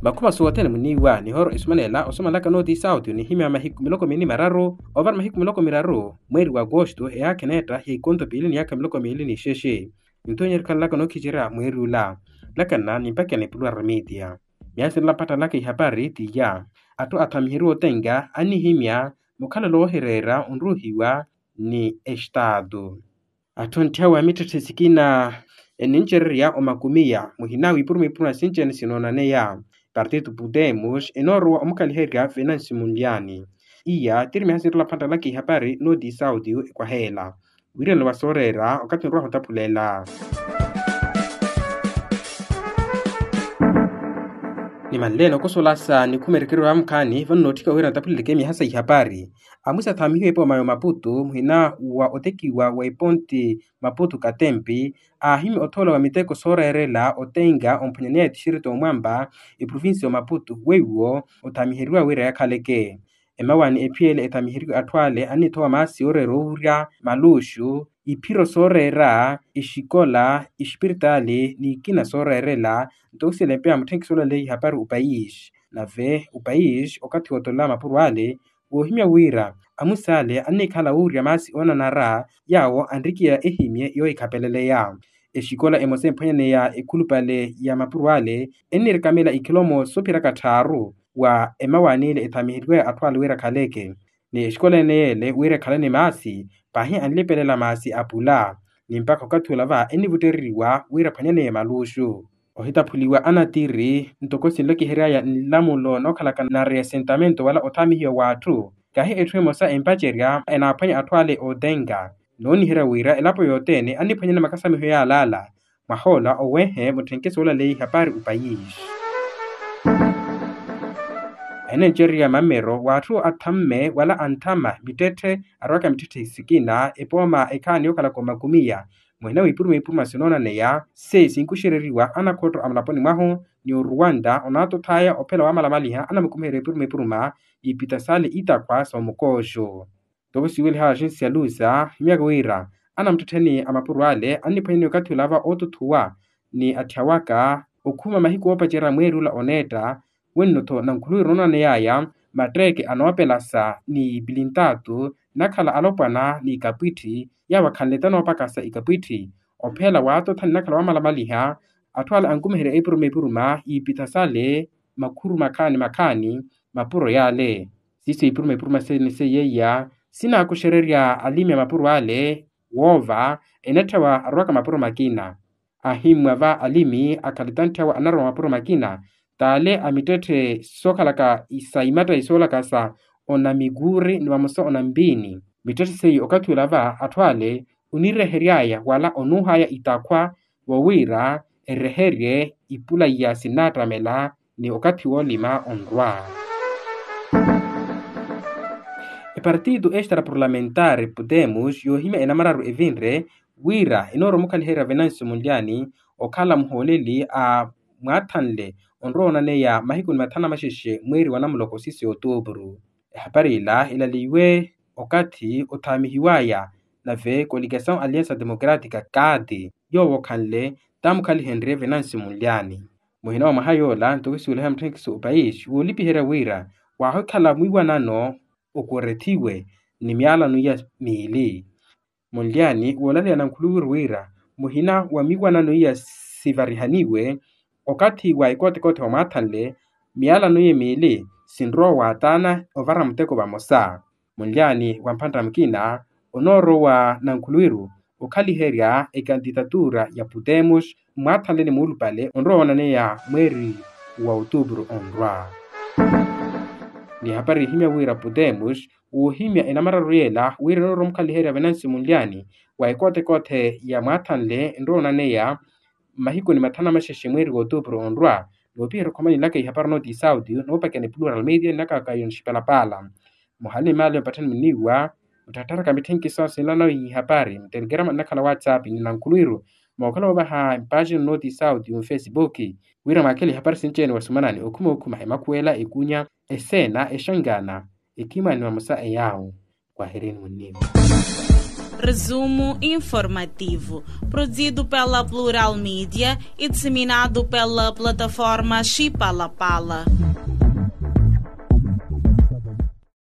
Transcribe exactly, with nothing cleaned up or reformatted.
Makhuma sothene muniiwa nihoro esumanela osomalaka nooti sauti onihimya mahiku miloko mini mararu ovara mahiku miloko miraru mweeri wa agosto eyaakha eneetta ya ikonto piili ni yaakha miloko miili ni ixexe. Nto nyerikhanlaka nookhicerya mweeri ula. Lakana nimpakela epuluwa ramitia. Myaasi nla mpattalaka ihapari tiya. Atthu athamiheriwa otenga annihimya mukhalelo woohireera onruuhiwa ni estaatu. Atthu antthiya wa mittetthe sikina enincererya omakumiya muhina wiipuruma ipuruma sinci-ene sinoonaneya. Partitu putemos enoorowa omukaliherya venansi munlyani. Iya tiri mihasinrola phantalaka ihapari nooti sauti ekwaheela. Wiiranelo wa sooreera okathi nrowaha otaphulela. Nimanleene okosolasa nikhuma erekerewa mukhaani vano nootthika wira ntaphuleleke miha sa ihapari. Amwisi athaamihiwe epooma ya omaputu muhina wa otekiwa wa eponti maputu katempi aahimya othoola wa miteko sooreerela otenga omphwanyaneya etixiriti omwamba eprovinsi ya omaputu weiwo othaamiheriwa wira yakhaleke. Emawaani ephiyele ethaamiheriwe atthu ale annithowa maasi ooreera owurya maluxu iphiro sooreera exikola exipiritaali n'ikina sooreerela. Nto osiyela empeya mutthenkisi olaleya ihapari opayisi nave opayisi okathi wootolola mapuro ale woohimya wira amwisi ale annikhala wuurya maasi oonanara yaawo anrikiya ehimye yoohikhapeleleya. Exikola emosa emphwanyaneya ekhulupale ya mapuro ale ennirekamela ikhilomo soophirakha tthaaru wa emawaani ile ethaamiheriwaya atthu ale wira akhaleke. Ni exikola ene yeele wira ekhalane maasi pahi anlipelela maasi apula ni mpakha okathi ola va ennivuttereriwa wira aphwanyaneye maluxu. Ohitaphuliwa anatiri ntoko sinlokiheryaya nlamulo nookhalaka na reasentamento wala othaamihiwa w'atthu kahi etthu emosa empacerya enaaphwanya atthu ale ootenga. Nooniherya wira elapo yothene anniphwanyana makasamiho yaalaala mwahoola owehe mutthenke soolaleya ihapari opayisi. Enencererya mammero w'atthu athamme wala anthama mittetthe arowaka mittetthe sikina epooma ekhaani yookhalaka omakumiya muhina wiipuruma ipuruma sinoonaneya se sinkuxereriwa anakhotto a mulaponi mwahu ni oruwanta onaatothaya ophela wamalamaliha anamukumiherya ipuruma ipuruma iipita sale itakhwa soomukooxo. Ntoko siweliha axensi ya lusa himyaka wira anamuttettheni a mapuro ale anniphwanyani okathi olava ootuthuwa ni atthya waka okhuma mahiku oopacerya mweeri ula oneetta. Wenno-tho nankhuluwiro noonaneyaya matteeke anoopelasa ni pilintatu nakhala alopwana n'ikapwitthi yaawo akhanle tanoopakasa ikapwitthi ophela waatotha ni nakhala wamalamaliha. Atthu ale ankumiherya epuruma epuruma iipitha sale makhuru makhaani makhaani mapuro yaale. Siiso ipuruma ipuruma sene seiyeiya sinaakuxererya alimi a mapuro ale woova enatthewa arowaka mapuro makina. Ahimmwa va alimi akhale tantthewa anarowa mapuro makina t'ale a mittetthe sookhalaka sa imattayi soolaka sa onamikuuri ni vamosa onampiini. Mittetthe seiyo okathi ula va atthu ale onireheryaya wala onuuhaya itakhwa wowira ereherye ipula iya sinnaattamela ni okathi woolima onrwa. Epartito extra parlamentari putemos yoohimya enamararu evinre wira enooromukhaliherya venansi munlyani okhala muhooleli a mwaathanle onrowa onaneya mahiku ni mathanu amaxexe mweeri wa namuloko sisi otuupuru. Ehapari ila ilaliwe okathi othaamihiwaya nave koligasawu aliansa democratika kaati yoowo okhanle taamukhalihenrye venansi munlyani. Muhina wa mwaha yoola ntoko siweliha mutthenkisi opayisi woolipiherya wira waahikhala mwiiwanano okurethiwe ni myaalano iya miili. Munlyani woolaleya nankhuluwiru wira muhina wa miiwanano iya sivarihaniwe okathi wa ekootekoote wa mwaathanle myaalano iye miili sinrowa waataana ovara muteko vamosa. Munlyani wa mphantta mukina onoorowa nankhuluwiru okhaliherya ekantitatura ya putemos mmwaathanle ni muulupale onrowa woonaneya mweeri wa otuupuru onrwa. Ni ehapari ihimya wira putemos woohimya enamararu yeela wira enooromukhaliherya venansi munlyani wa ekootekoote ya mwaathanle enrowa onaneya mmahikuni mathanu amaxexe mweeri wa otuupuru onrwa. Noopiherya okhoma nilaka ihapari nooti sauti noopakiya ni plural media nilaka kayo nixipalapaala. Muhale ni maali mpatthani muniiwa mutthattharaka mitthenkiso sinlanawe ihapari mutelekerama nnakhala whatsapp ni nankhuluwiru mookhala woovaha mpaxini nooti sauti mufesipuki wira mwaakele ihapari sinci-ene wasumanani okhuma okhuma emakhuwela ekunya eseena exangana ekhimani vamosa eyaawo. Kwaherini muniiwa. Resumo informativo, produzido pela Plural Media e disseminado pela plataforma Chipalapala.